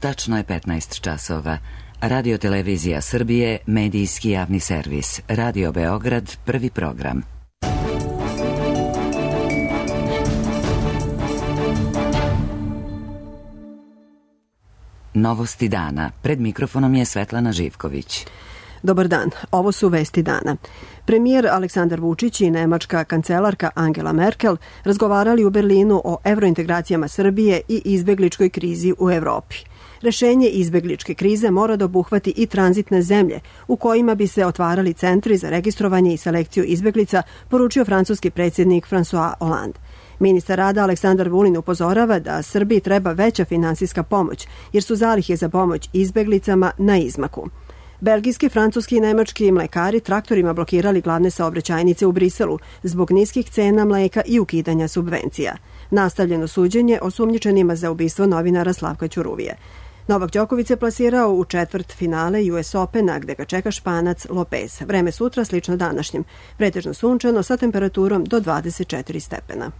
Tačno je 15 časova. Radio Televizija Srbije, medijski javni servis. Radio Beograd, prvi program. Novosti dana. Pred mikrofonom je Svetlana Živković. Dobar dan, ovo su vesti dana. Premijer Aleksandar Vučić i nemačka kancelarka Angela Merkel razgovarali u Berlinu o evrointegracijama Srbije i izbegličkoj krizi u Evropi. Rešenje izbegličke krize mora da obuhvati i tranzitne zemlje u kojima bi se otvarali centri za registrovanje i selekciju izbeglica, poručio francuski predsjednik François Hollande. Ministar rada Aleksandar Vulin upozorava da Srbiji treba veća finansijska pomoć, jer su zalihe za pomoć izbeglicama na izmaku. Belgijski, francuski i nemački mlekari traktorima blokirali glavne saobraćajnice u Briselu zbog niskih cena mleka i ukidanja subvencija. Nastavljeno suđenje osumnjičenima za ubistvo novinara Slavka Ćuruvije. Novak Đoković se plasirao u četvrt finale US Opena, gde ga čeka Španac Lopez. Vreme sutra slično današnjem, pretežno sunčano sa temperaturom do 24 stepena.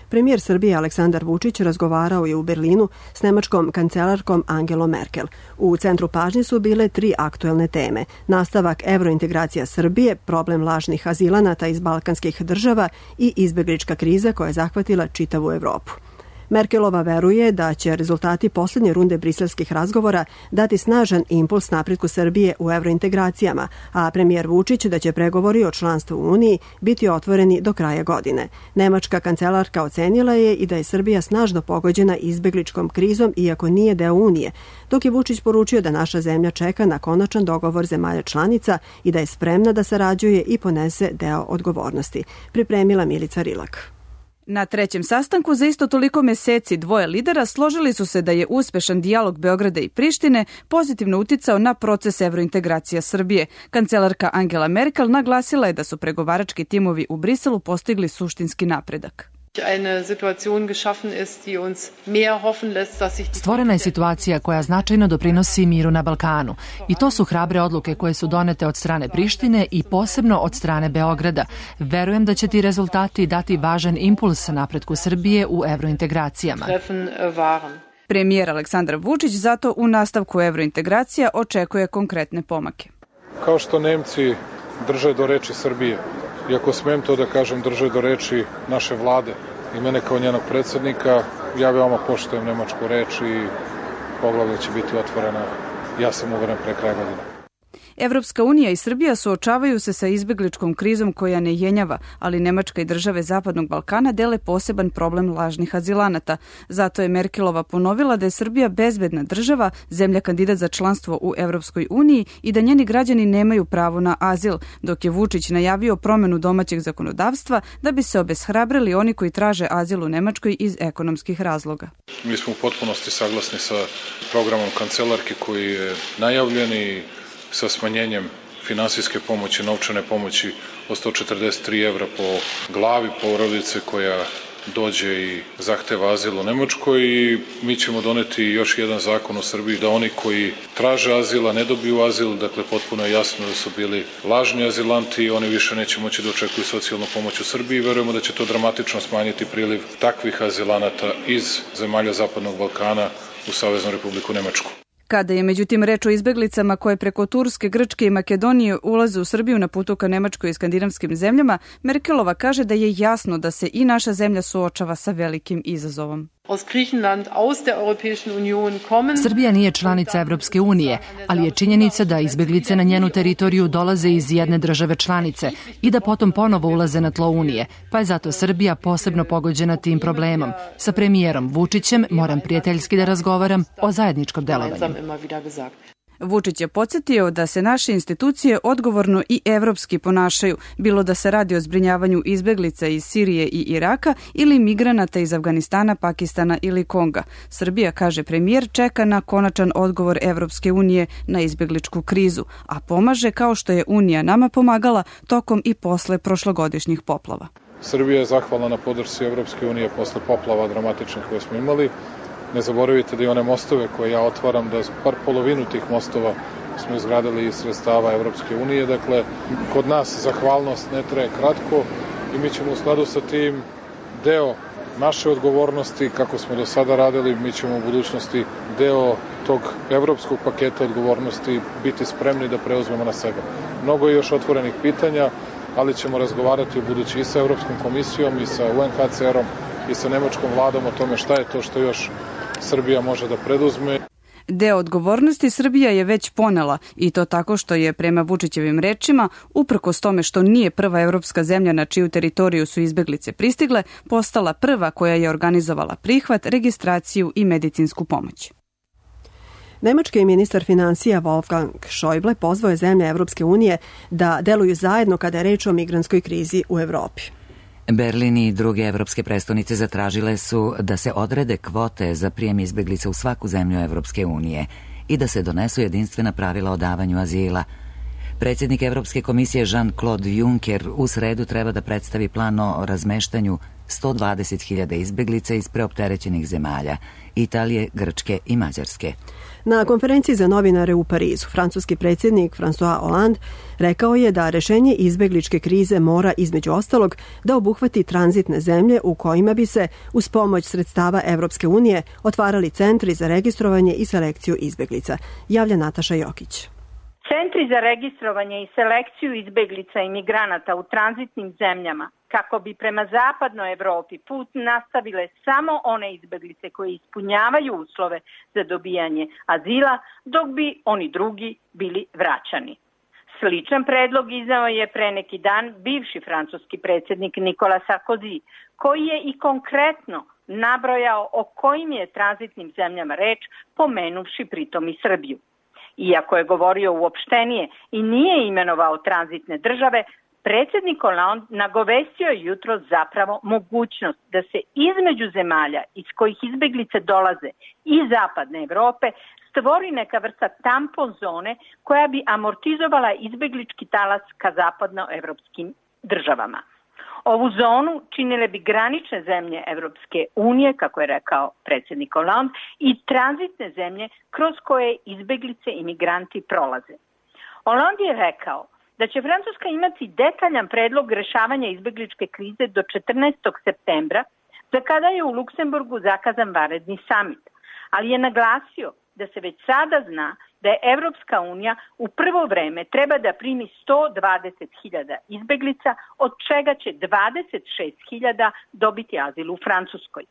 Premijer Srbije Aleksandar Vučić razgovarao je u Berlinu s nemačkom kancelarkom Angelom Merkel. U centru pažnje su bile 3 aktuelne teme: nastavak evrointegracija Srbije, problem lažnih azilanata iz balkanskih država i izbeglička kriza koja je zahvatila čitavu Evropu. Merkelova veruje da će rezultati posljednje runde briselskih razgovora dati snažan impuls napretku Srbije u evrointegracijama, a premijer Vučić da će pregovori o članstvu u Uniji biti otvoreni do kraja godine. Nemačka kancelarka ocenila je i da je Srbija snažno pogođena izbegličkom krizom iako nije deo Unije, dok je Vučić poručio da naša zemlja čeka na konačan dogovor zemalja članica i da je spremna da sarađuje i ponese deo odgovornosti. Pripremila Milica Rilak. Na trećem sastanku za isto toliko meseci dvoje lidera složili su se da je uspešan dijalog Beograda i Prištine pozitivno uticao na proces evrointegracija Srbije. Kancelarka Angela Merkel naglasila je da su pregovarački timovi u Briselu postigli suštinski napredak. Stvorena je situacija koja značajno doprinosi miru na Balkanu i to su hrabre odluke koje su donete od strane Prištine i posebno od strane Beograda. Verujem da će ti rezultati dati važan impuls napretku Srbije u evrointegracijama. Premijer Aleksandar Vučić zato u nastavku evrointegracija očekuje konkretne pomake. Kao što Nemci drže do reči Srbije, iako smijem to da kažem, drže do reči naše vlade i mene kao njenog predsjednika, ja veoma poštujem nemačku reč i poglavlje će biti otvorena, ja sam uveren, pre kraja godine. Evropska unija i Srbija suočavaju se sa izbegličkom krizom koja ne jenjava, ali Nemačka i države Zapadnog Balkana dele poseban problem lažnih azilanata. Zato je Merkelova ponovila da je Srbija bezbedna država, zemlja kandidat za članstvo u Evropskoj uniji i da njeni građani nemaju pravo na azil, dok je Vučić najavio promenu domaćeg zakonodavstva da bi se obeshrabrili oni koji traže azil u Nemačkoj iz ekonomskih razloga. Mi smo u potpunosti saglasni sa programom kancelarke koji je najavljen i sa smanjenjem finansijske pomoći, novčane pomoći od 143 evra po glavi porodice koja dođe i zahteva azil u Nemačkoj i mi ćemo doneti još jedan zakon u Srbiji da oni koji traže azil, a ne dobiju azil, dakle potpuno je jasno da su bili lažni azilanti i oni više neće moći da očekuju socijalnu pomoć u Srbiji i verujemo da će to dramatično smanjiti priliv takvih azilanata iz zemalja Zapadnog Balkana u Saveznu Republiku Nemačku. Kada je međutim reč o izbeglicama koje preko Turske, Grčke i Makedonije ulaze u Srbiju na putu ka Nemačkoj i skandinavskim zemljama, Merkelova kaže da je jasno da se i naša zemlja suočava sa velikim izazovom. Srbija nije članica Evropske unije, ali je činjenica da izbeglice na njenu teritoriju dolaze iz jedne države članice i da potom ponovo ulaze na tlo Unije, pa je zato Srbija posebno pogođena tim problemom. Sa premijerom Vučićem moram prijateljski da razgovaram o zajedničkom delovanju. Vučić je podsjetio da se naše institucije odgovorno i evropski ponašaju, bilo da se radi o zbrinjavanju izbeglica iz Sirije i Iraka ili migranata iz Afganistana, Pakistana ili Konga. Srbija, kaže premijer, čeka na konačan odgovor Evropske unije na izbegličku krizu, a pomaže kao što je Unija nama pomagala tokom i posle prošlogodišnjih poplava. Srbija je zahvalna na podršci Evropske unije posle poplava dramatičnih koje smo imali. Ne zaboravite da i one mostove koje ja otvaram, da par polovinu tih mostova smo izgradili iz sredstava Evropske unije. Dakle, kod nas zahvalnost ne traje kratko i mi ćemo u skladu sa tim deo naše odgovornosti, kako smo do sada radili, mi ćemo u budućnosti deo tog evropskog paketa odgovornosti biti spremni da preuzmemo na sebe. Mnogo je još otvorenih pitanja, ali ćemo razgovarati u budući i sa Evropskom komisijom i sa UNHCR-om i sa nemačkom vladom o tome šta je to što još Srbija može da preduzme. Deo odgovornosti Srbija je već ponela i to tako što je, prema Vučićevim rečima, uprkos tome što nije prva evropska zemlja na čiju teritoriju su izbeglice pristigle, postala prva koja je organizovala prihvat, registraciju i medicinsku pomoć. Nemački ministar finansija Wolfgang Schäuble pozvao je zemlje Evropske unije da deluju zajedno kada je reč o migrantskoj krizi u Evropi. Berlin i druge evropske prestonice zatražile su da se odrede kvote za prijem izbeglica u svaku zemlju Evropske unije i da se donesu jedinstvena pravila o davanju azila. Predsjednik Evropske komisije Jean-Claude Juncker u sredu treba da predstavi plan o razmeštanju 120.000 izbeglica iz preopterećenih zemalja, Italije, Grčke i Mađarske. Na konferenciji za novinare u Parizu, francuski predsjednik François Hollande rekao je da rešenje izbegličke krize mora između ostalog da obuhvati tranzitne zemlje u kojima bi se uz pomoć sredstava Evropske unije otvarali centri za registrovanje i selekciju izbeglica, javlja Nataša Jokić. Centri za registrovanje i selekciju izbeglica i migranata u tranzitnim zemljama kako bi prema zapadnoj Evropi put nastavile samo one izbeglice koje ispunjavaju uslove za dobijanje azila, dok bi oni drugi bili vraćani. Sličan predlog izneo je pre neki dan bivši francuski predsjednik Nicolas Sarkozy, koji je i konkretno nabrojao o kojim je tranzitnim zemljama reč, pomenuvši pritom i Srbiju. Iako je govorio uopštenije i nije imenovao tranzitne države, predsjednik Hollande nagovestio je jutro zapravo mogućnost da se između zemalja iz kojih izbeglice dolaze i zapadne Evrope stvori neka vrsta tampon zone koja bi amortizovala izbeglički talas ka zapadnoevropskim državama. Ovu zonu činile bi granične zemlje Evropske unije, kako je rekao predsjednik Hollande, i tranzitne zemlje kroz koje izbeglice i migranti prolaze. Hollande je rekao da će Francuska imati detaljan predlog rešavanja izbegličke krize do 14. septembra, za kada je u Luksemburgu zakazan vanredni samit, ali je naglasio da se već sada zna da je Evropska unija u prvo vreme treba da primi 120.000 izbeglica, od čega će 26.000 dobiti azil u Francuskoj.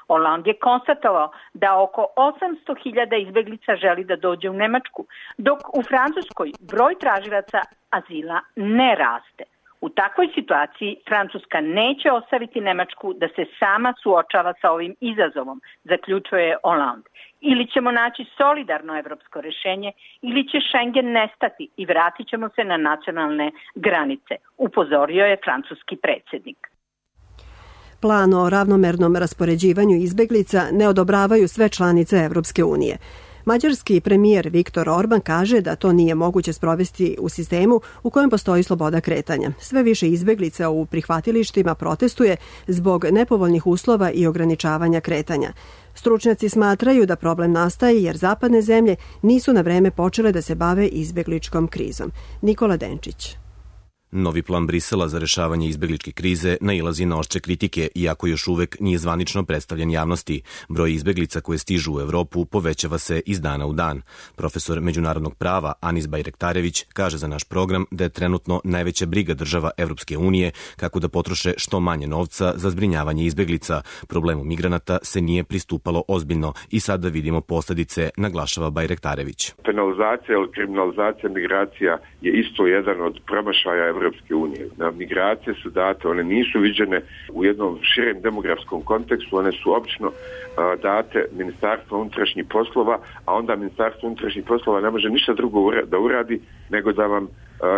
Hollande je konstatovao da oko 800.000 izbeglica želi da dođe u Nemačku, dok u Francuskoj broj tražilaca azila ne raste. U takvoj situaciji Francuska neće ostaviti Nemačku da se sama suočava sa ovim izazovom, zaključuje Hollande. Ili ćemo naći solidarno evropsko rešenje, ili će Schengen nestati i vratit ćemo se na nacionalne granice, upozorio je francuski predsjednik. Plan o ravnomernom raspoređivanju izbeglica ne odobravaju sve članice Evropske unije. Mađarski premijer Viktor Orban kaže da to nije moguće sprovesti u sistemu u kojem postoji sloboda kretanja. Sve više izbeglica u prihvatilištima protestuje zbog nepovoljnih uslova i ograničavanja kretanja. Stručnjaci smatraju da problem nastaje jer zapadne zemlje nisu na vreme počele da se bave izbegličkom krizom. Nikola Denčić. Novi plan Brisela za rešavanje izbegličke krize nailazi na oštre kritike, iako još uvek nije zvanično predstavljen javnosti. Broj izbeglica koje stižu u Evropu povećava se iz dana u dan. Profesor međunarodnog prava Anis Bajrektarević kaže za naš program da je trenutno najveća briga država Evropske unije kako da potroše što manje novca za zbrinjavanje izbeglica. Problemu migranata se nije pristupalo ozbiljno i sada vidimo posledice, naglašava Bajrektarević. Penalizacija ili kriminalizacija migracija je isto jedan od promašaja Evropske unije. Migracije su date, one nisu viđene u jednom širem demografskom kontekstu, one su obično date Ministarstvo unutrašnjih poslova, a onda Ministarstvo unutrašnjih poslova ne može ništa drugo da uradi nego da vam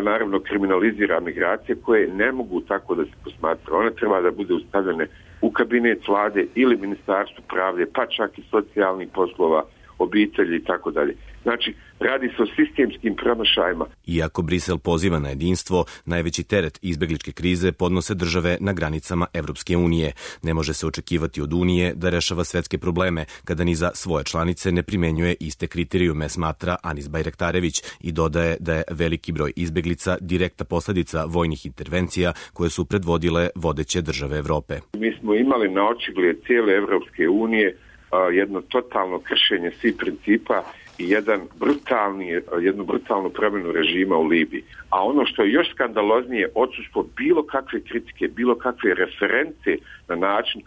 naravno kriminalizira migracije koje ne mogu tako da se posmatra. One treba da bude ustavljene u kabinet vlade ili Ministarstvu pravde, pa čak i socijalnih poslova, obitelji i tako dalje. Znači, radi se o sistemskim promašajima. Iako Brisel poziva na jedinstvo, najveći teret izbegličke krize podnose države na granicama Evropske unije. Ne može se očekivati od Unije da rešava svetske probleme kada ni za svoje članice ne primenjuje iste kriterijume, smatra Anis Bajraktarević i dodaje da je veliki broj izbeglica direktna posledica vojnih intervencija koje su predvodile vodeće države Evrope. Mi smo imali na očigled cijele Evropske unije jedno totalno kršenje svih principa i jednu brutalnu promjenu režima u Libiji. A ono što je još skandaloznije, odsustvo bilo kakve kritike, bilo kakve reference na način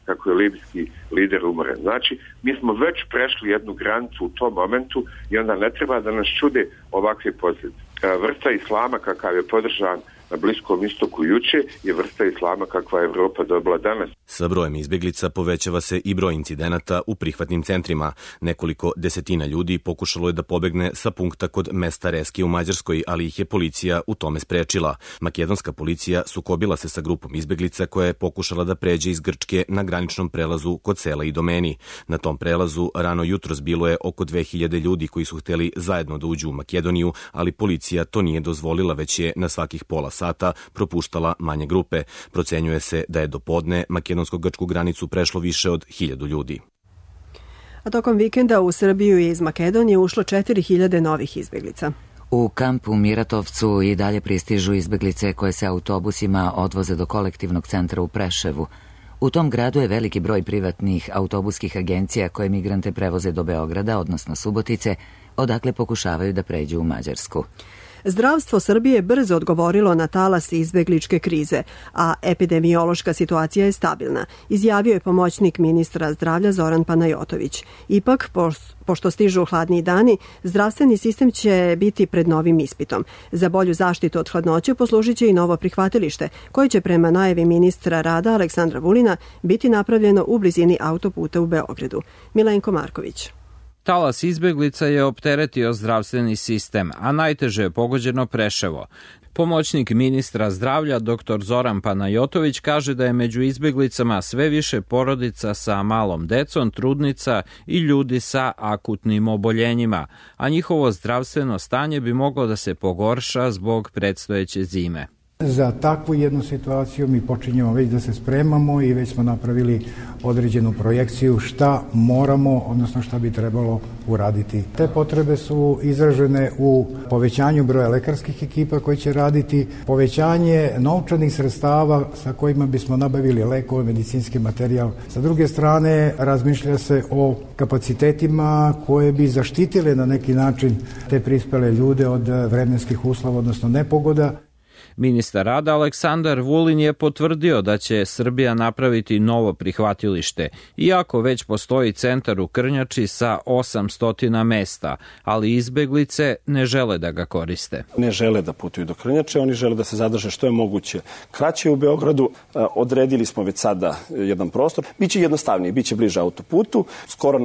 kako je libijski lider umoren. Znači, mi smo već prešli jednu granicu u tom momentu i onda ne treba da nas čude ovakve posljedice. Vrsta islama kakav je podržan na Bliskom istoku juče je vrsta islama kakva je Evropa dobila danas. Sa brojem izbeglica povećava se i broj incidenata u prihvatnim centrima. Nekoliko desetina ljudi pokušalo je da pobegne sa punkta kod mesta Reske u Mađarskoj, ali ih je policija u tome sprečila. Makedonska policija sukobila se sa grupom izbeglica koja je pokušala da pređe iz Grčke na graničnom prelazu kod sela Idomeni. Na tom prelazu rano jutros bilo je oko 2000 ljudi koji su hteli zajedno da uđu u Makedoniju, ali policija to nije dozvolila, već je na svakih pola sata propuštala manje grupe. Procenjuje se da je do podne makedonsko-grčku granicu prešlo više od 1000 ljudi. A tokom vikenda u Srbiju je iz Makedonije ušlo 4000 novih izbeglica. U kampu Miratovcu i dalje pristižu izbeglice koje se autobusima odvoze do kolektivnog centra u Preševu. U tom gradu je veliki broj privatnih autobuskih agencija koje migrante prevoze do Beograda, odnosno Subotice, odakle pokušavaju da pređu u Mađarsku. Zdravstvo Srbije brzo odgovorilo na talas izbegličke krize, a epidemiološka situacija je stabilna, izjavio je pomoćnik ministra zdravlja Zoran Panajotović. Ipak, pošto stižu hladniji dani, zdravstveni sistem će biti pred novim ispitom. Za bolju zaštitu od hladnoće poslužit će i novo prihvatilište, koje će prema najavi ministra rada Aleksandra Vulina biti napravljeno u blizini autoputa u Beogradu. Milenko Marković. Talas izbeglica je opteretio zdravstveni sistem, a najteže je pogođeno Preševo. Pomoćnik ministra zdravlja dr. Zoran Panajotović kaže da je među izbeglicama sve više porodica sa malom decom, trudnica i ljudi sa akutnim oboljenjima, a njihovo zdravstveno stanje bi moglo da se pogorša zbog predstojeće zime. Za takvu jednu situaciju mi počinjemo već da se spremamo i već smo napravili određenu projekciju šta moramo, odnosno šta bi trebalo uraditi. Te potrebe su izražene u povećanju broja lekarskih ekipa koji će raditi, povećanje novčanih sredstava sa kojima bismo nabavili lekove, medicinski materijal. Sa druge strane, razmišlja se o kapacitetima koje bi zaštitile na neki način te prispele ljude od vremenskih uslova, odnosno nepogoda. Ministar rada Aleksandar Vulin je potvrdio da će Srbija napraviti novo prihvatilište, iako već postoji centar u Krnjači sa 800 mesta, ali izbeglice ne žele da ga koriste. Ne žele da putuju do Krnjače, oni žele da se zadrže što je moguće kraće u Beogradu. Odredili smo već sada jedan prostor. Biće jednostavnije, biće bliže autoputu, skoro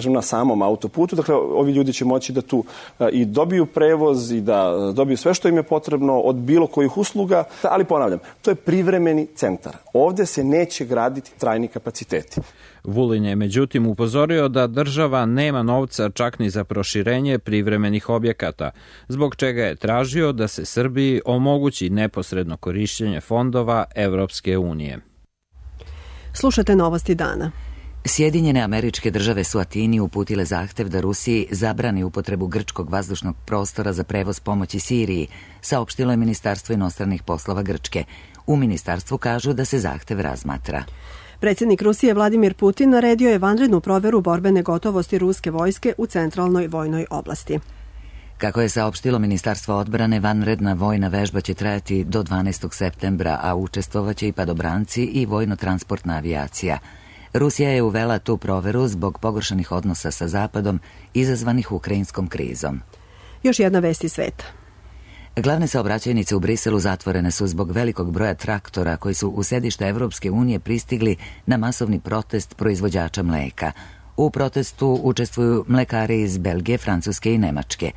na samom autoputu. Dakle, ovi ljudi će moći da tu i dobiju prevoz i da dobiju sve što im je potrebno od bilo kojih usluga, ali ponavljam, to je privremeni centar. Ovdje se neće graditi trajni kapaciteti. Vulin je međutim upozorio da država nema novca čak ni za proširenje privremenih objekata, zbog čega je tražio da se Srbiji omogući neposredno korišćenje fondova Evropske unije. Slušate novosti dana. Sjedinjene Američke Države su Atini uputile zahtev da Rusiji zabrani upotrebu grčkog vazdušnog prostora za prevoz pomoći Siriji, saopštilo je Ministarstvo inostranih poslova Grčke. U ministarstvu kažu da se zahtev razmatra. Predsjednik Rusije Vladimir Putin naredio je vanrednu proveru borbene gotovosti ruske vojske u centralnoj vojnoj oblasti. Kako je saopštilo Ministarstvo odbrane, vanredna vojna vežba će trajati do 12. septembra, a učestvovaće i padobranci i vojno-transportna avijacija. Rusija je uvela tu proveru zbog pogoršanih odnosa sa Zapadom izazvanih ukrajinskom krizom. Još jedna vest iz sveta. Glavne saobraćajnice u Briselu zatvorene su zbog velikog broja traktora koji su u sedište Evropske unije pristigli na masovni protest proizvođača mleka. U protestu učestvuju mlekari iz Belgije, Francuske i Nemačke.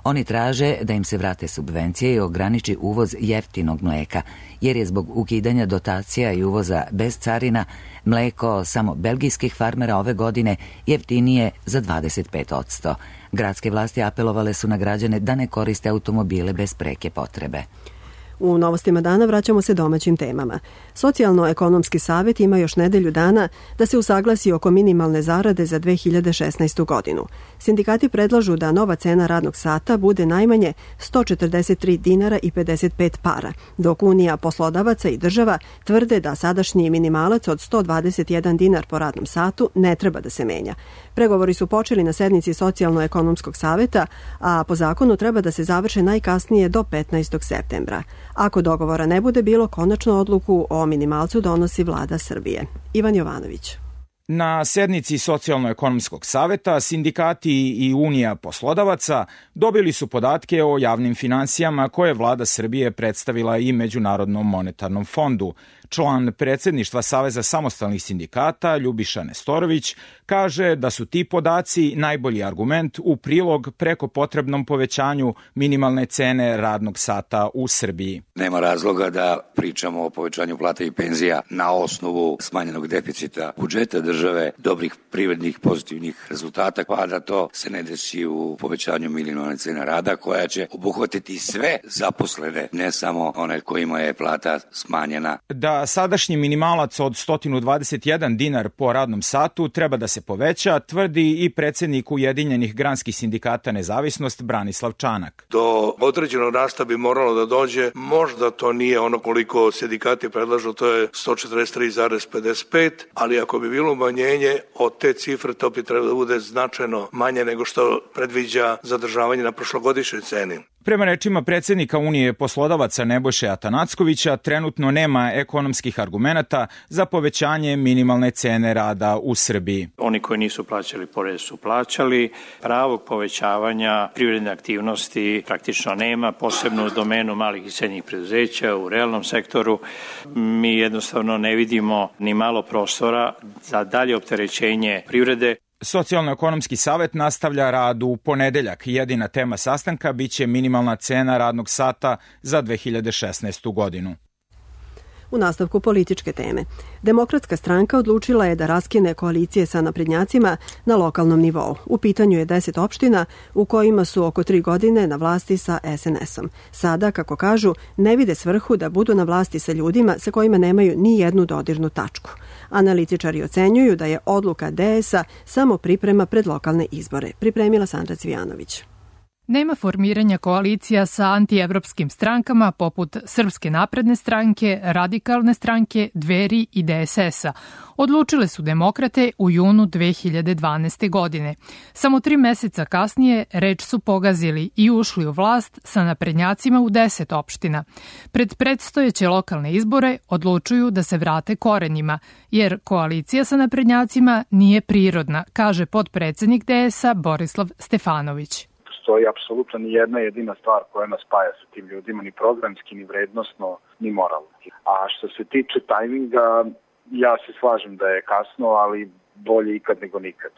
Oni traže da im se vrate subvencije i ograniči uvoz jeftinog mleka, jer je zbog ukidanja dotacija i uvoza bez carina mleko samo belgijskih farmera ove godine jeftinije za 25%. Gradske vlasti apelovale su na građane da ne koriste automobile bez preke potrebe. U novostima dana vraćamo se domaćim temama. Socijalno-ekonomski savjet ima još nedelju dana da se usaglasi oko minimalne zarade za 2016. godinu. Sindikati predlažu da nova cena radnog sata bude najmanje 143 dinara i 55 para, dok Unija poslodavaca i država tvrde da sadašnji minimalac od 121 dinar po radnom satu ne treba da se menja. Pregovori su počeli na sednici Socijalno-ekonomskog savjeta, a po zakonu treba da se završe najkasnije do 15. septembra. Ako dogovora ne bude bilo, konačnu odluku o minimalcu donosi vlada Srbije. Ivan Jovanović. Na sednici Socijalno-ekonomskog saveta sindikati i Unija poslodavaca dobili su podatke o javnim finansijama koje je vlada Srbije predstavila i Međunarodnom monetarnom fondu. Član predsjedništva Saveza samostalnih sindikata Ljubiša Nestorović kaže da su ti podaci najbolji argument u prilog preko potrebnom povećanju minimalne cene radnog sata u Srbiji. Nema razloga da pričamo o povećanju plata i penzija na osnovu smanjenog deficita budžeta države, dobrih privrednih pozitivnih rezultata, pa da to se ne desi u povećanju minimalne cene rada koja će obuhvatiti sve zaposlene, ne samo one kojima je plata smanjena. Da sadašnji minimalac od 121 dinar po radnom satu treba da se poveća, tvrdi i predsjednik Ujedinjenih granskih sindikata Nezavisnost Branislav Čanak. Do određenog rasta bi moralo da dođe, možda to nije ono koliko sindikati predlažu, to je 143,55, ali ako bi bilo umanjenje od te cifre, to bi trebalo da bude značajno manje nego što predviđa zadržavanje na prošlogodišnjoj ceni. Prema rečima predsjednika Unije poslodavaca Nebojše Atanackovića, trenutno nema ekonomskih argumenata za povećanje minimalne cene rada u Srbiji. Oni koji nisu plaćali porez su plaćali. Pravog povećavanja privredne aktivnosti praktično nema, posebno u domenu malih i srednjih preduzeća, u realnom sektoru. Mi jednostavno ne vidimo ni malo prostora za dalje opterećenje privrede. Socijalno-ekonomski savjet nastavlja rad u ponedeljak. Jedina tema sastanka biće minimalna cena radnog sata za 2016. godinu. U nastavku političke teme. Demokratska stranka odlučila je da raskine koalicije sa naprednjacima na lokalnom nivou. U pitanju je 10 opština u kojima su oko 3 godine na vlasti sa SNS-om. Sada, kako kažu, ne vide svrhu da budu na vlasti sa ljudima sa kojima nemaju ni jednu dodirnu tačku. Analitičari ocenjuju da je odluka DS-a samo priprema pred lokalne izbore. Pripremila Sandra Cvijanović. Nema formiranja koalicija sa antievropskim strankama poput Srpske napredne stranke, Radikalne stranke, Dveri i DSS-a. Odlučile su demokrate u junu 2012. godine. Samo 3 meseca kasnije reč su pogazili i ušli u vlast sa naprednjacima u 10 opština. Pred predstojeće lokalne izbore odlučuju da se vrate korenjima, jer koalicija sa naprednjacima nije prirodna, kaže potpredsednik DS-a Borislav Stefanović. Postoji apsolutno ni jedna jedina stvar koja nas spaja sa tim ljudima, ni programski, ni vrednostno, ni moralno. A što se tiče tajminga, ja se slažem da je kasno, ali bolje ikad nego nikad.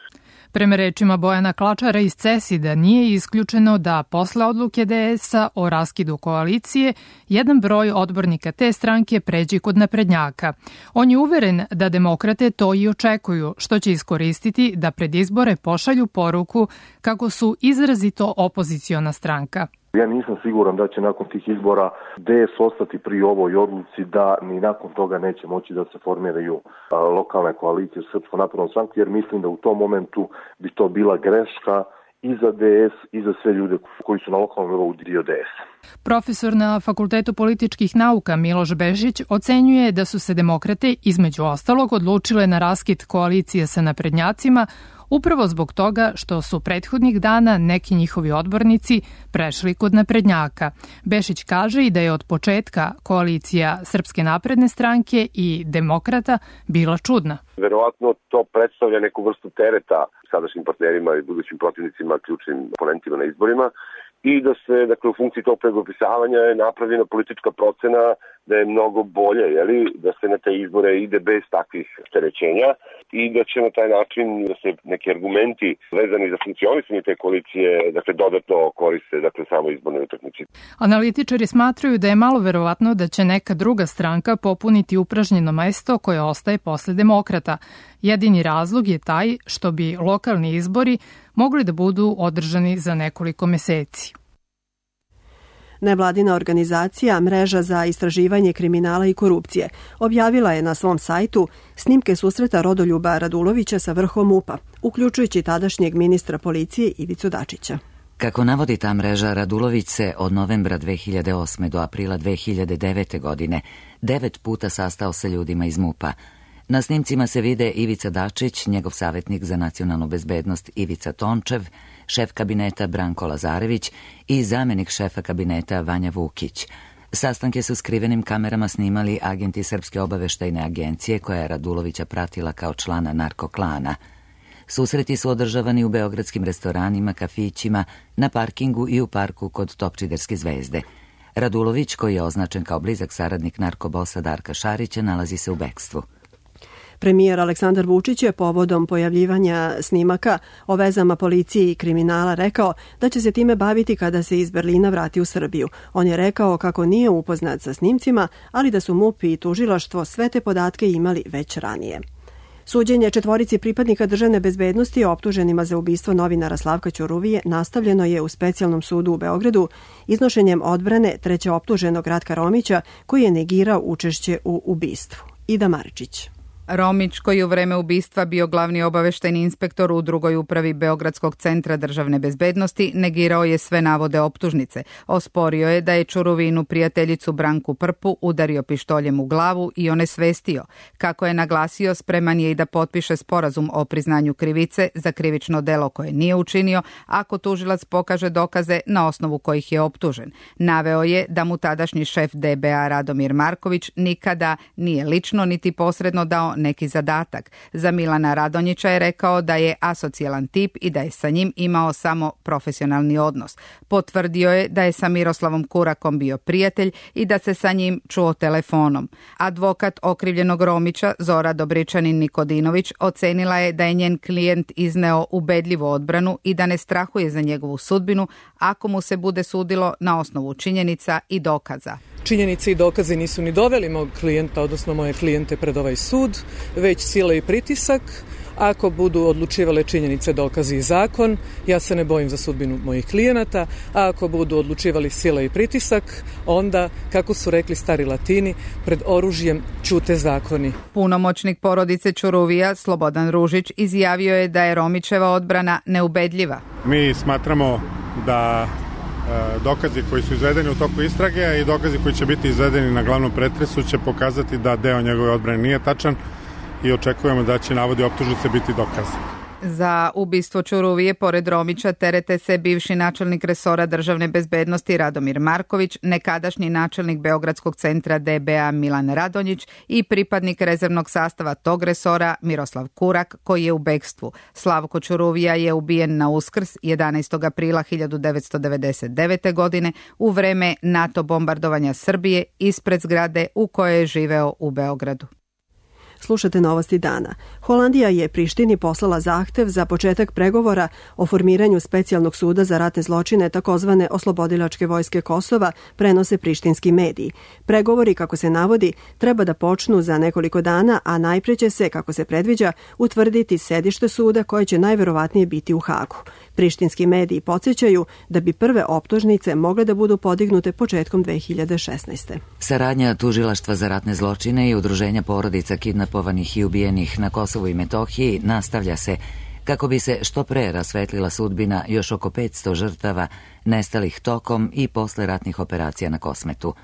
Prema rečima Bojana Klačara iz CESID-a nije isključeno da posle odluke DS-a o raskidu koalicije jedan broj odbornika te stranke pređi kod naprednjaka. On je uveren da demokrate to i očekuju, što će iskoristiti da pred izbore pošalju poruku kako su izrazito opoziciona stranka. Ja nisam siguran da će nakon tih izbora DS ostati pri ovoj odluci da ni nakon toga neće moći da se formiraju lokalne koalicije u Srpskom naprednom stranku, jer mislim da u tom momentu bi to bila greška i za DS i za sve ljude koji su na lokalnom nivou dio DS. Profesor na Fakultetu političkih nauka Miloš Bešić ocenjuje da su se demokrate između ostalog odlučile na raskid koalicije sa naprednjacima upravo zbog toga što su prethodnih dana neki njihovi odbornici prešli kod naprednjaka. Bešić kaže i da je od početka koalicija Srpske napredne stranke i demokrata bila čudna. Verovatno to predstavlja neku vrstu tereta sadašnjim partnerima i budućim protivnicima, ključnim oponentima na izborima, i da se, dakle, u funkciji tog pregopisavanja je napravljena politička procena da je mnogo bolje, da se na te izbore ide bez takvih opterećenja i da će na taj način da se neki argumenti vezani za funkcionisanje te koalicije, dakle, dodatno koriste, dakle, samo izborne utakmice. Analitičari smatraju da je malo verovatno da će neka druga stranka popuniti upražnjeno mesto koje ostaje posle demokrata. Jedini razlog je taj što bi lokalni izbori mogli da budu održani za nekoliko meseci. Nevladina organizacija Mreža za istraživanje kriminala i korupcije objavila je na svom sajtu snimke susreta Rodoljuba Radulovića sa vrhom MUP-a, uključujući tadašnjeg ministra policije Ivicu Dačića. Kako navodi ta mreža, Radulović se od novembra 2008. do aprila 2009. godine 9 puta sastao sa ljudima iz MUP-a. Na snimcima se vide Ivica Dačić, njegov savjetnik za nacionalnu bezbednost Ivica Tončev, šef kabineta Branko Lazarević i zamjenik šefa kabineta Vanja Vukić. Sastanke su skrivenim kamerama snimali agenti Srpske obaveštajne agencije koja je Radulovića pratila kao člana narkoklana. Susreti su održavani u beogradskim restoranima, kafićima, na parkingu i u parku kod Topčiderske zvezde. Radulović, koji je označen kao blizak saradnik narkobosa Darka Šarića, nalazi se u bekstvu. Premijer Aleksandar Vučić je povodom pojavljivanja snimaka o vezama policije i kriminala rekao da će se time baviti kada se iz Berlina vrati u Srbiju. On je rekao kako nije upoznat sa snimcima, ali da su MUP i tužilaštvo sve te podatke imali već ranije. Suđenje 4 pripadnika državne bezbednosti optuženima za ubistvo novinara Slavka Ćuruvije nastavljeno je u specijalnom sudu u Beogradu iznošenjem odbrane treće optuženog Ratka Romića, koji je negirao učešće u ubistvu. Ida Maričić. Romić, koji u vreme ubistva bio glavni obaveštajni inspektor u drugoj upravi Beogradskog centra državne bezbednosti, negirao je sve navode optužnice. Osporio je da je Ćuruvinu prijateljicu Branku Prpu udario pištoljem u glavu i onesvestio. Kako je naglasio, spreman je i da potpiše sporazum o priznanju krivice za krivično delo koje nije učinio, ako tužilac pokaže dokaze na osnovu kojih je optužen. Naveo je da mu tadašnji šef DBA Radomir Marković nikada nije lično niti posredno dao neki zadatak. Za Milana Radonjića je rekao da je asocijalan tip i da je sa njim imao samo profesionalni odnos. Potvrdio je da je sa Miroslavom Kurakom bio prijatelj i da se sa njim čuo telefonom. Advokat okrivljenog Romića, Zora Dobričanin Nikodinović, ocenila je da je njen klijent izneo ubedljivu odbranu i da ne strahuje za njegovu sudbinu ako mu se bude sudilo na osnovu činjenica i dokaza. Činjenice i dokazi nisu ni doveli mog klijenta, odnosno moje klijente, pred ovaj sud, već sila i pritisak. Ako budu odlučivale činjenice, dokazi i zakon, ja se ne bojim za sudbinu mojih klijenata, a ako budu odlučivali sila i pritisak, onda, kako su rekli stari Latini, pred oružjem ćute zakoni. Punomoćnik porodice Ćuruvija, Slobodan Ružić, izjavio je da je Romićeva odbrana neubedljiva. Mi smatramo da dokazi koji su izvedeni u toku istrage i dokazi koji će biti izvedeni na glavnom pretresu će pokazati da deo njegove odbrane nije tačan i očekujemo da će navodi optužnice biti dokazani. Za ubistvo Ćuruvije, pored Romića, terete se bivši načelnik resora državne bezbednosti Radomir Marković, nekadašnji načelnik Beogradskog centra DBA Milan Radonjić i pripadnik rezervnog sastava tog resora Miroslav Kurak, koji je u bekstvu. Slavko Ćuruvija je ubijen na Uskrs 11. aprila 1999. godine u vreme NATO bombardovanja Srbije ispred zgrade u kojoj je živeo u Beogradu. Slušate Novosti dana. Holandija je Prištini poslala zahtev za početak pregovora o formiranju specijalnog suda za ratne zločine, takozvane Oslobodilačke vojske Kosova, prenose prištinski mediji. Pregovori, kako se navodi, treba da počnu za nekoliko dana, a najpre će se, kako se predviđa, utvrditi sedište suda koje će najverovatnije biti u Hagu. Prištinski mediji podsjećaju da bi prve optužnice mogle da budu podignute početkom 2016. Saradnja Tužilaštva za ratne zločine i udruženja porodica kidnapovanih i ubijenih na Kosovu i Metohiji nastavlja se kako bi se što pre rasvetlila sudbina još oko 500 žrtava nestalih tokom i posle ratnih operacija na Kosmetu.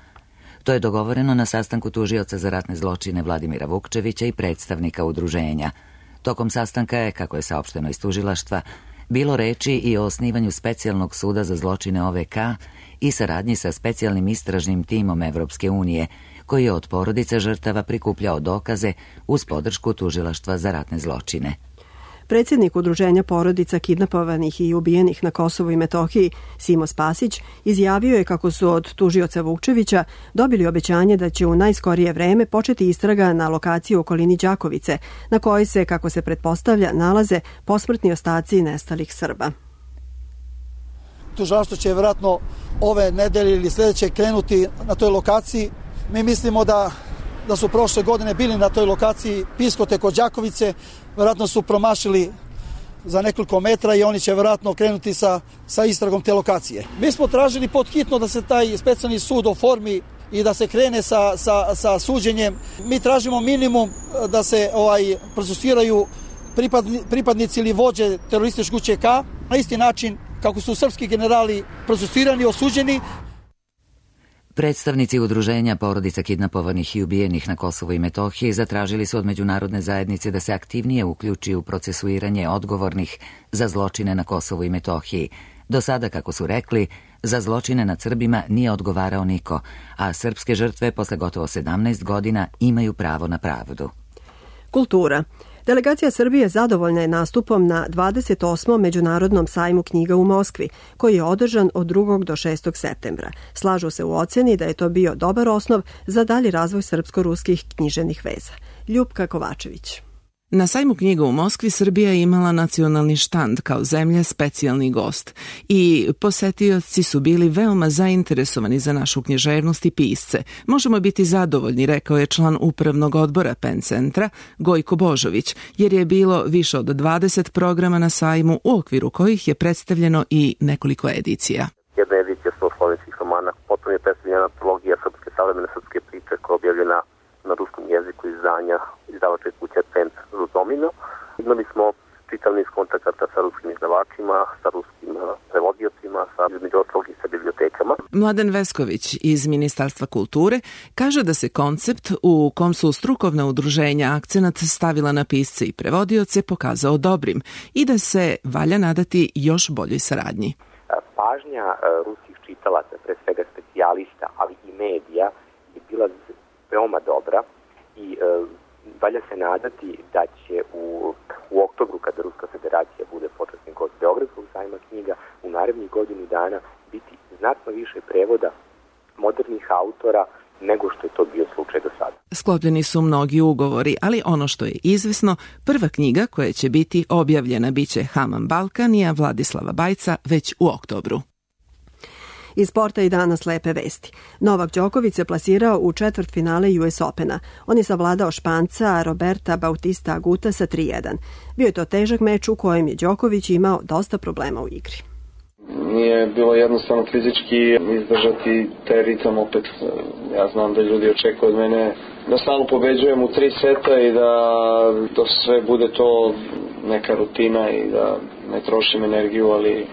To je dogovoreno na sastanku tužioca za ratne zločine Vladimira Vukčevića i predstavnika udruženja. Tokom sastanka je, kako je saopšteno iz tužilaštva, bilo reči i o osnivanju specijalnog suda za zločine OVK i saradnji sa specijalnim istražnim timom Evropske unije, koji je od porodica žrtava prikupljao dokaze uz podršku tužilaštva za ratne zločine. Predsjednik Udruženja porodica kidnapovanih i ubijenih na Kosovu i Metohiji, Simo Spasić, izjavio je kako su od tužioca Vukčevića dobili obećanje da će u najskorije vreme početi istraga na lokaciji u okolini Đakovice, na kojoj se, kako se pretpostavlja, nalaze posmrtni ostaci nestalih Srba. Tužilaštvo će vjerojatno ove nedelje ili sljedeće krenuti na toj lokaciji. Mi mislimo da su prošle godine bili na toj lokaciji Piskote kod Đakovice, vjerojatno su promašili za nekoliko metra i oni će vjerojatno krenuti sa istragom te lokacije. Mi smo tražili podhitno da se taj specijalni sud oformi i da se krene sa suđenjem. Mi tražimo minimum da se procesuiraju pripadnici ili vođe terorističke UČK na isti način kako su srpski generali procesuirani i osuđeni. Predstavnici Udruženja porodica kidnapovanih i ubijenih na Kosovu i Metohiji zatražili su od međunarodne zajednice da se aktivnije uključi u procesuiranje odgovornih za zločine na Kosovu i Metohiji. Do sada, kako su rekli, za zločine nad Srbima nije odgovarao niko, a srpske žrtve posle gotovo 17 godina imaju pravo na pravdu. Kultura. Delegacija Srbije zadovoljna je nastupom na 28. Međunarodnom sajmu knjiga u Moskvi, koji je održan od 2. do 6. septembra. Slažu se u ocjeni da je to bio dobar osnov za dalji razvoj srpsko-ruskih književnih veza. Ljupka Kovačević. Na sajmu knjiga u Moskvi Srbija je imala nacionalni štand kao zemlja specijalni gost i posetioci su bili veoma zainteresovani za našu književnost i pisce. Možemo biti zadovoljni, rekao je član upravnog odbora PEN centra Gojko Božović, jer je bilo više od 20 programa na sajmu u okviru kojih je predstavljeno i nekoliko edicija. Jedna edicija slovenskih romana, potom je predstavljena antologija srpske savremene srpske priče koja je objavljena na ruskom jeziku izdanja izdavačke kuće Centr Rudomino. Imali smo čitav niz kontakata sa ruskim izdavačima, sa ruskim prevodiocima, između ostalog i sa bibliotekama. Mladen Vesković iz Ministarstva kulture kaže da se koncept u kom su strukovna udruženja akcenat stavila na pisce i prevodioce pokazao dobrim i da se valja nadati još boljoj saradnji. Pažnja ruskih čitalaca, pre svega specijalista, ali i medija, je bila veoma dobra i valja se nadati da će u oktobru, kada Ruska federacija bude počasni gost Beogradskog sajma knjiga, u narednih godinu dana biti znatno više prevoda modernih autora nego što je to bio slučaj do sada. Sklopljeni su mnogi ugovori, ali ono što je izvesno, prva knjiga koja će biti objavljena biće Haman Balkanija Vladislava Bajca već u oktobru. Iz sporta i danas lepe vesti. Novak Đoković se plasirao u četvrtfinale US Opena. On je savladao Španca Roberta Bautista Aguta sa 3-1. Bio je to težak meč u kojem je Đoković imao dosta problema u igri. Nije bilo jednostavno fizički izdržati taj ritam opet. Ja znam da ljudi očekuju od mene da stalno pobeđujem u 3 seta i da sve bude to neka rutina i da ne trošim energiju, ali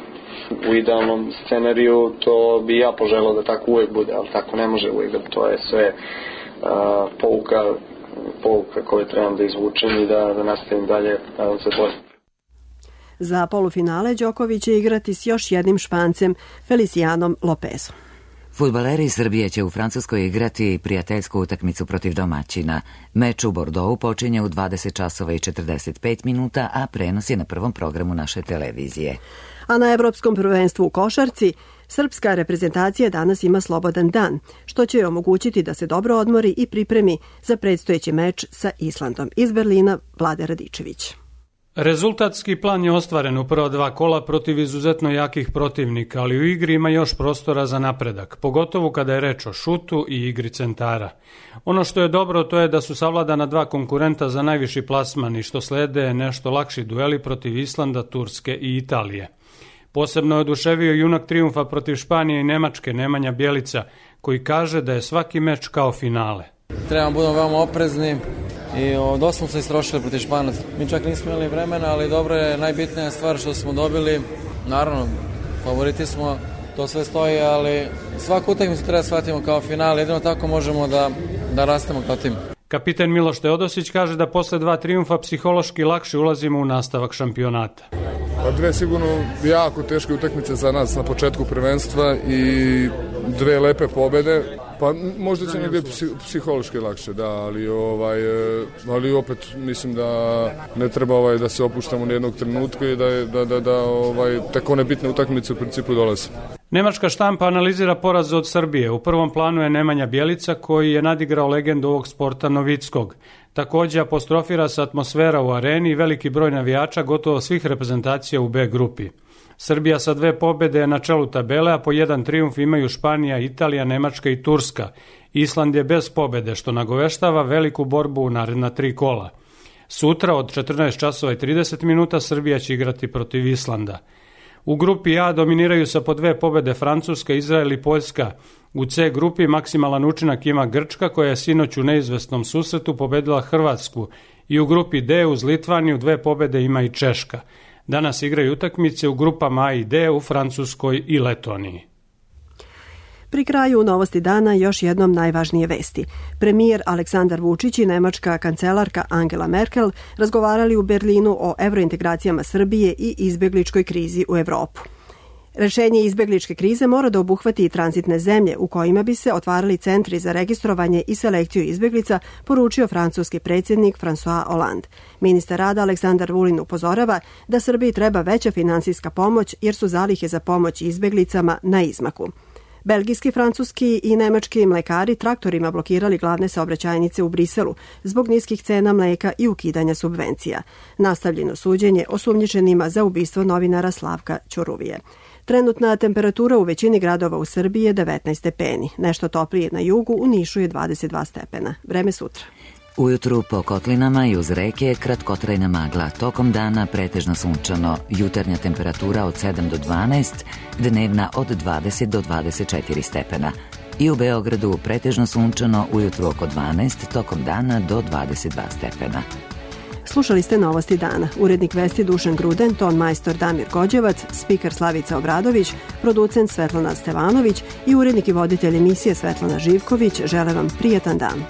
u idealnom scenariju to bi ja poželao da tako uvek bude, ali tako ne može uvek, da to je sve pouka koju trebam da izvučem i da nastavim dalje, nadam se bolje. Za polufinale Đoković će igrati s još jednim Špancem, Felicianom Lopezom. Fudbaleri Srbije će u Francuskoj igrati prijateljsku utakmicu protiv domaćina. Meč u Bordeauxu počinje u 20 časova i 45 minuta, a prenos je na prvom programu naše televizije. A na Evropskom prvenstvu u košarci srpska reprezentacija danas ima slobodan dan, što će joj omogućiti da se dobro odmori i pripremi za predstojeći meč sa Islandom. Iz Berlina, Vlade Radičević. Rezultatski plan je ostvaren u prva 2 kola protiv izuzetno jakih protivnika, ali u igri ima još prostora za napredak, pogotovo kada je reč o šutu i igri centara. Ono što je dobro to je da su savladana 2 konkurenta za najviši plasman i što slede nešto lakši dueli protiv Islanda, Turske i Italije. Posebno je oduševio junak trijumfa protiv Španije i Nemačke Nemanja Bjelica, koji kaže da je svaki meč kao finale. Trebamo budemo veoma oprezni i dosta smo se istrošili protiv Španaca. Mi čak nismo imali vremena, ali dobro je, najbitnija stvar što smo dobili. Naravno, favoriti smo, to sve stoji, ali svaku utakmicu treba shvatimo kao final, jedino tako možemo da rastemo kao tim. Kapiten Miloš Teodosić kaže da posle 2 trijumfa psihološki lakše ulazimo u nastavak šampionata. Pa dve sigurno jako teške utakmice za nas na početku prvenstva i dve lepe pobede. Pa možda će negdje psihološki lakše, da, ali opet mislim da ne treba da se opuštamo ni jednog trenutka i da tako nebitne utakmice u principu dolaze. Nemačka štampa analizira poraz od Srbije. U prvom planu je Nemanja Bjelica koji je nadigrao legendu ovog sporta Novickog. Također apostrofira se atmosfera u areni i veliki broj navijača gotovo svih reprezentacija u B grupi. Srbija sa 2 pobjede je na čelu tabele, a po 1 trijumf imaju Španija, Italija, Nemačka i Turska. Island je bez pobjede, što nagoveštava veliku borbu u naredna 3 kola. Sutra od 14 časova i 30 minuta Srbija će igrati protiv Islanda. U grupi A dominiraju sa po 2 pobjede Francuska, Izrael i Poljska. U C grupi maksimalan učinak ima Grčka koja je sinoć u neizvesnom susretu pobedila Hrvatsku i u grupi D uz Litvaniju 2 pobjede ima i Češka. Danas igraju utakmice u grupama A i D u Francuskoj i Letoniji. Pri kraju novosti dana još jednom najvažnije vesti. Premijer Aleksandar Vučić i nemačka kancelarka Angela Merkel razgovarali u Berlinu o evrointegracijama Srbije i izbegličkoj krizi u Evropu. Rešenje izbegličke krize mora da obuhvati i tranzitne zemlje u kojima bi se otvarali centri za registrovanje i selekciju izbeglica, poručio francuski predsjednik François Hollande. Ministar rada Aleksandar Vulin upozorava da Srbiji treba veća finansijska pomoć jer su zalihe za pomoć izbeglicama na izmaku. Belgijski, francuski i nemački mlekari traktorima blokirali glavne saobraćajnice u Briselu zbog niskih cena mleka i ukidanja subvencija. Nastavljeno suđenje osumnjičenima za ubistvo novinara Slavka Ćuruvije. Trenutna temperatura u većini gradova u Srbiji je 19 stepeni. Nešto toplije na jugu, u Nišu je 22 stepena. Vreme sutra. Ujutru po kotlinama i uz reke kratkotrajna magla. Tokom dana pretežno sunčano. Jutarnja temperatura od 7 do 12, dnevna od 20 do 24 stepena. I u Beogradu pretežno sunčano, ujutru oko 12, tokom dana do 22 stepena. Slušali ste novosti dana. Urednik vesti Dušan Gruden, ton majstor Damir Gođevac, spiker Slavica Obradović, producent Svetlana Stevanović i urednik i voditelj emisije Svetlana Živković žele vam prijatan dan.